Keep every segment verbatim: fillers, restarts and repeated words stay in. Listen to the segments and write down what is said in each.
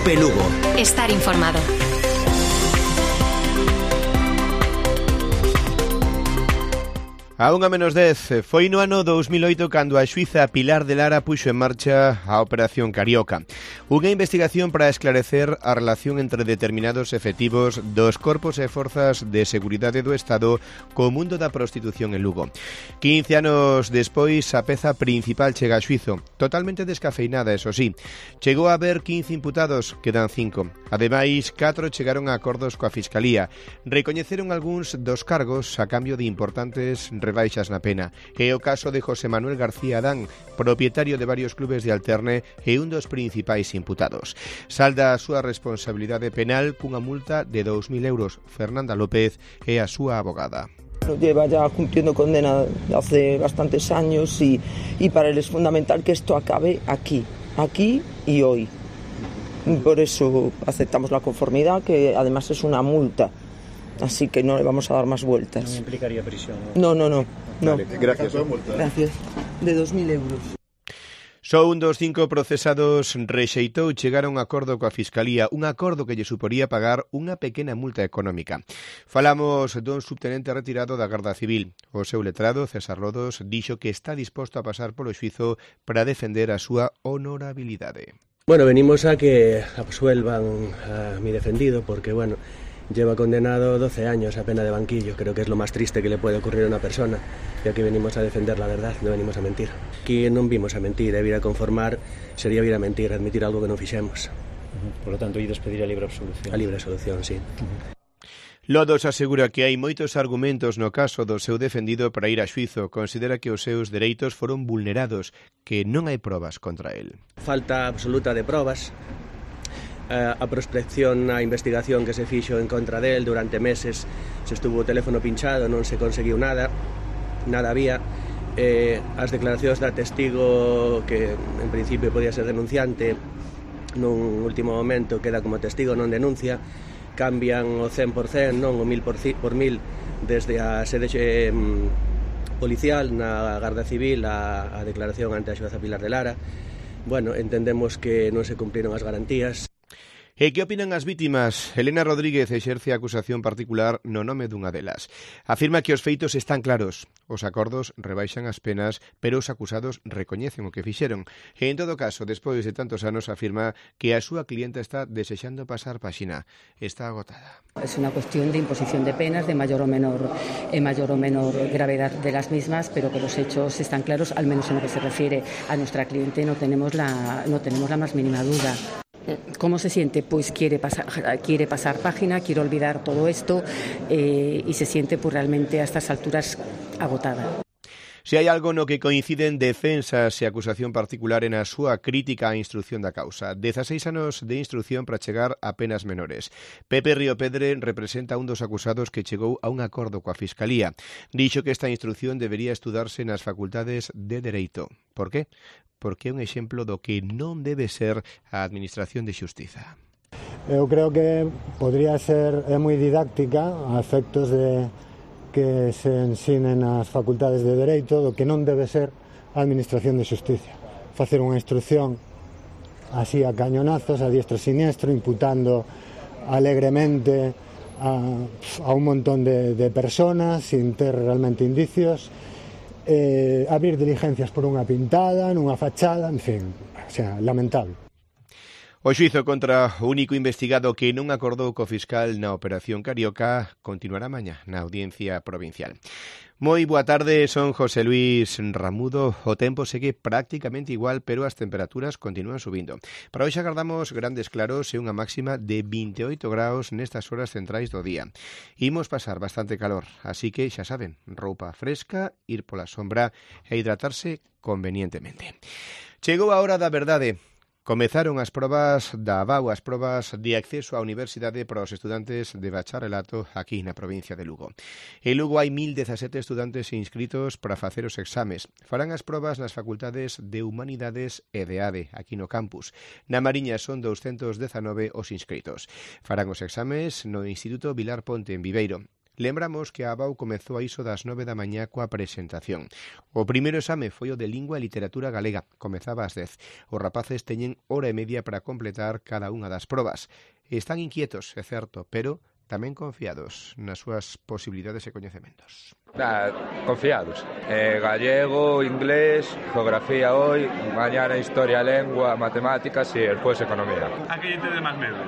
Cope Lugo. Estar informado. A unha menos dez, foi no ano dous mil oito cando a xuíza Pilar de Lara puxo en marcha a Operación Carioca, unha investigación para esclarecer a relación entre determinados efectivos dos corpos e forzas de seguridade do Estado co mundo da prostitución en Lugo. quince anos despois, a peza principal chega a xuizo, totalmente descafeinada, eso sí. Chegou a haber quince imputados, quedan cinco. Ademais, catro chegaron a acordos coa Fiscalía. Recoñeceron algúns dos cargos a cambio de importantes rebaixas na pena. É o caso de José Manuel García Adán, propietario de varios clubes de alterne e un dos principais imputados. Salda a súa responsabilidade penal cunha multa de dous mil euros. Fernanda López é a súa abogada. Lleva ya cumpliendo condena hace bastantes años y, y para él es fundamental que esto acabe aquí, aquí y hoy. Por eso aceptamos la conformidad, que además es una multa. Así que no le vamos a dar más vueltas. ¿No implicaría prisión? No, no, no. no. Vale, gracias. Gracias. De dos mil euros. Só un dos cinco procesados rexeitou chegar a un acordo coa Fiscalía, un acordo que lle suporía pagar unha pequena multa económica. Falamos dun subtenente retirado da Garda Civil. O seu letrado, César Lodos, dixo que está disposto a pasar polo xuizo para defender a súa honorabilidade. Bueno, venimos a que absuelvan a mi defendido porque, bueno, lleva condenado doce años a pena de banquillo. Creo que es lo más triste que le puede ocurrir a una persona. Y aquí venimos a defender la verdad, no venimos a mentir. Aquí non vimos a mentir, e vir a conformar sería vir a mentir, admitir algo que non fixemos. Uh-huh. Por lo tanto, ides pedir a libre absolución. A libre absolución, sí. Uh-huh. Lodos asegura que hai moitos argumentos no caso do seu defendido para ir a xuizo. Considera que os seus dereitos foron vulnerados, que non hai probas contra el. Falta absoluta de probas. Uh, a prospección, a investigación que se fixo en contra del durante meses, se estuvo o teléfono pinchado, non se conseguiu nada, nada había. Eh, as declaracións da testigo, que en principio podía ser denunciante, nun último momento queda como testigo, non denuncia, cambian o cen por cen, non o mil por, por mil, desde a sede eh, policial na Garda Civil a, a declaración ante a xueza Pilar de Lara. Bueno, entendemos que non se cumpriron as garantías. E que opinan as vítimas? Elena Rodríguez exerce a acusación particular no nome dunha delas. Afirma que os feitos están claros. Os acordos rebaixan as penas, pero os acusados recoñecen o que fixeron. E en todo caso, despois de tantos anos, afirma que a súa clienta está desexando pasar páxina. Está agotada. Es una cuestión de imposición de penas de mayor o menor, eh, mayor o menor gravedad de las mismas, pero que los hechos están claros, al menos en lo que se refiere a nuestra cliente, no tenemos la, no tenemos la más mínima duda. ¿Cómo se siente? Pues quiere pasar, quiere pasar página, quiere olvidar todo esto eh, y se siente pues realmente a estas alturas agotada. Se hai algo no que coinciden defensas e acusación particular en a súa crítica á instrución da causa. dezaseis anos de instrución para chegar a penas menores. Pepe Río Pedre representa un dos acusados que chegou a un acordo coa Fiscalía. Dixo que esta instrución debería estudarse nas facultades de Dereito. Por qué? Porque é un exemplo do que non debe ser a Administración de Xustiza. Eu creo que podría ser é moi didáctica a efectos de que se ensinen as facultades de Dereito do que non debe ser a Administración de Xustiza. Facer unha instrucción así a cañonazos, a diestro e siniestro, imputando alegremente a, a un montón de, de personas sin ter realmente indicios, eh, abrir diligencias por unha pintada, nunha fachada, en fin, o sea, lamentable. O xuizo contra o único investigado que non acordou co fiscal na Operación Carioca continuará mañá na Audiencia Provincial. Moi boa tarde, son José Luis Ramudo. O tempo segue prácticamente igual, pero as temperaturas continúan subindo. Para hoxe agardamos grandes claros e unha máxima de vinte e oito graus nestas horas centrais do día. Imos pasar bastante calor, así que xa saben, roupa fresca, ir pola sombra e hidratarse convenientemente. Chegou a hora da verdade. Comezaron as probas da A B A U, as probas de acceso á universidade para os estudantes de bacharelato aquí na provincia de Lugo. En Lugo hai mil dezasete estudantes inscritos para facer os exames. Farán as probas nas facultades de Humanidades e de A D E, aquí no campus. Na Mariña son douscentos dezanove os inscritos. Farán os exames no Instituto Vilar Ponte en Viveiro. Lembramos que a ABAU comezou a iso das nove da mañá coa presentación. O primeiro exame foi o de Lingua e Literatura Galega, comezaba ás dez. Os rapaces teñen hora e media para completar cada unha das probas. Están inquietos, é certo, pero tamén confiados nas súas posibilidades e coñecementos. Nah, confiados. Eh, gallego, inglés, geografía hoy, mañana historia, lengua, matemáticas e despois economía. A que lle tedes máis medo?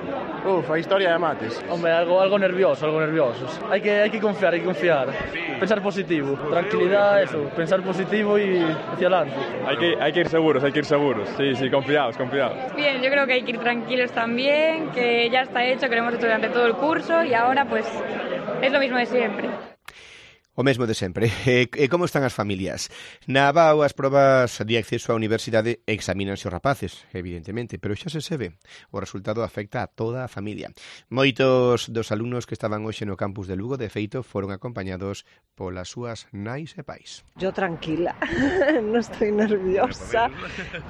Uf, a historia de mates. Hombre, algo, algo nervioso, algo nerviosos. Hay que, hay que confiar, hay que confiar. Sí. Pensar positivo. Tranquilidad, eso. Pensar positivo y hacia adelante. Hay que, hay que ir seguros, hay que ir seguros. Sí, sí, confiados, confiados. Bien, yo creo que hay que ir tranquilos también, que ya está hecho, que lo hemos hecho durante todo el curso y ahora pues es lo mismo de siempre. O mesmo de sempre. E, e como están as familias? Na ABAU as probas de acceso á universidade examínanse os rapaces, evidentemente, pero xa se sabe, o resultado afecta a toda a familia. Moitos dos alumnos que estaban hoxe no campus de Lugo, de feito, foron acompañados polas súas nais e pais. Yo tranquila, no estoy nerviosa.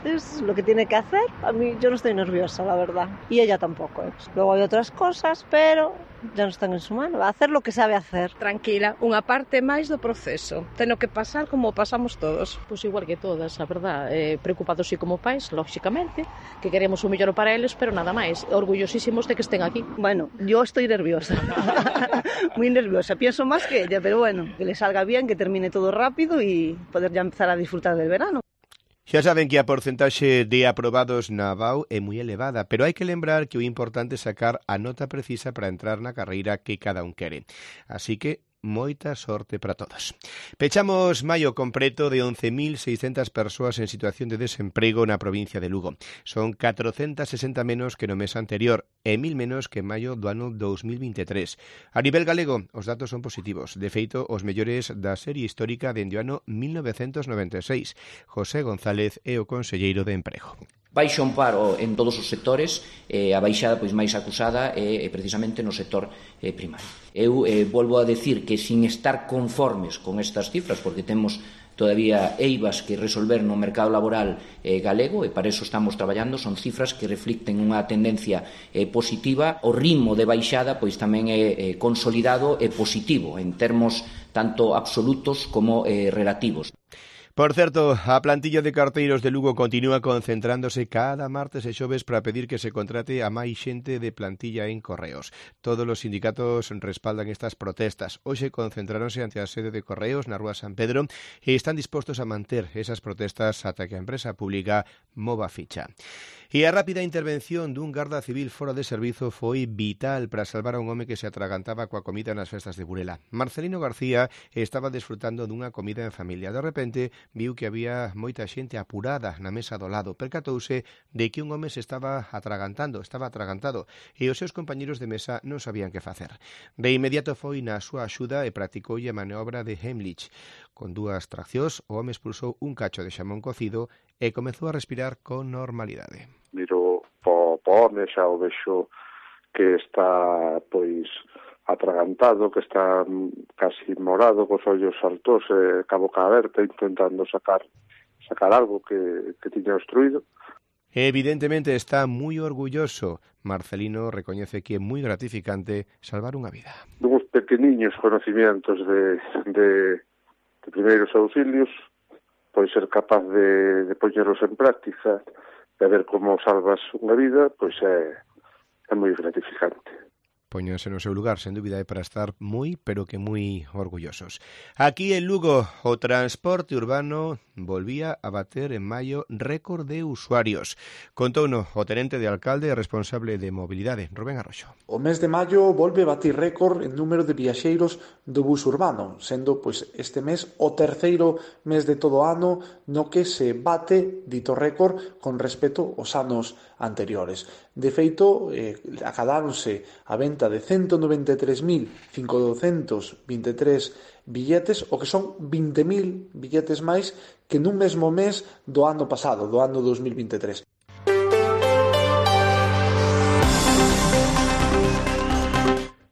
Es lo que tiene que hacer. A mí yo no estoy nerviosa, la verdad. Y ella tampoco. ¿eh? Luego hay otras cosas, pero ya no están en su mano. Va a hacer lo que sabe hacer. Tranquila, unha parte máis do proceso. Teno que pasar como pasamos todos. Pois igual que todas, a verdad. Eh, preocupados sí como pais, lógicamente, que queremos o mellor para eles, pero nada máis. Orgullosísimos de que estén aquí. Bueno, yo estoy nerviosa. Muy nerviosa. Pienso más que ella, pero bueno, que le salga bien, que termine todo rápido y poder ya empezar a disfrutar del verano. Xa saben que a porcentaxe de aprobados na ABAU é moi elevada, pero hai que lembrar que o importante é sacar a nota precisa para entrar na carreira que cada un quere. Así que moita sorte para todos. Pechamos maio con preto de once mil seiscentas persoas en situación de desemprego na provincia de Lugo. Son catrocentas sesenta menos que no mes anterior e mil menos que en maio do ano dous mil veintitrés. A nivel galego, os datos son positivos. De feito, os mellores da serie histórica dende o ano mil novecentos noventa e seis. José González é o conselleiro de Emprego. Baixa un paro en todos os sectores, eh, a baixada pois máis acusada é eh, precisamente no sector eh, primario. Eu eh, volvo a decir que sin estar conformes con estas cifras, porque temos todavía eivas que resolver no mercado laboral eh, galego, e para eso estamos traballando, son cifras que reflicten unha tendencia eh, positiva. O ritmo de baixada pois tamén é eh, consolidado e positivo en termos tanto absolutos como eh, relativos. Por certo, a plantilla de carteiros de Lugo continúa concentrándose cada martes e xoves para pedir que se contrate a máis xente de plantilla en Correos. Todos os sindicatos respaldan estas protestas. Hoxe concentráronse ante a sede de Correos na Rúa San Pedro e están dispostos a manter esas protestas ata que a empresa pública mova ficha. E a rápida intervención dun garda civil fora de servizo foi vital para salvar a un home que se atragantaba coa comida nas festas de Burela. Marcelino García estaba desfrutando dunha comida en familia. De repente, viu que había moita xente apurada na mesa do lado. Percatouse de que un home se estaba atragantando, estaba atragantado, e os seus compañeros de mesa non sabían que facer. De inmediato foi na súa axuda e practicoulle a maniobra de Heimlich. Con dúas traccións, o home expulsou un cacho de xamón cocido e comezou a respirar con normalidade. Miro po home, xa o vexo que está, pois, atragantado, que está casi morado, cos ollos altos, e ca boca aberta, intentando sacar sacar algo que, que tiña obstruído. Evidentemente está moi orgulloso. Marcelino recoñece que é moi gratificante salvar unha vida. Uns pequeniños conocimientos de, de, de primeiros auxilios, pois ser capaz de, de poñeros en práctica, de ver como salvas unha vida, pois é, é moi gratificante. Póñanse no seu lugar, sen dúbida, é para estar moi, pero que moi orgullosos. Aquí en Lugo, o transporte urbano volvía a bater en maio récord de usuarios. Contouno o tenente de alcalde e responsable de mobilidade, Rubén Arroxo. O mes de maio volve a batir récord en número de viaxeiros do bus urbano, sendo pois este mes o terceiro mes de todo o ano no que se bate dito récord con respecto aos anos anteriores. De feito, eh, acadáronse a venta de ciento noventa e tres mil cincocentos vinte e tres billetes, o que son vinte mil billetes máis que nun mesmo mes do ano pasado, do ano dos mil vinte e tres.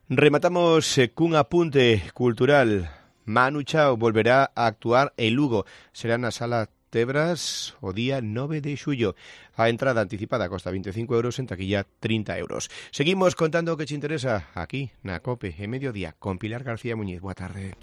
Rematamos cun apunte cultural. Manu Chao volverá a actuar en Lugo. Será na Sala Tebras o día nove de xullo. A entrada anticipada costa veinticinco euros, en taquilla treinta euros. Seguimos contando o que te interesa aquí na COPE, en Mediodía, con Pilar García Muñiz. Boa tarde.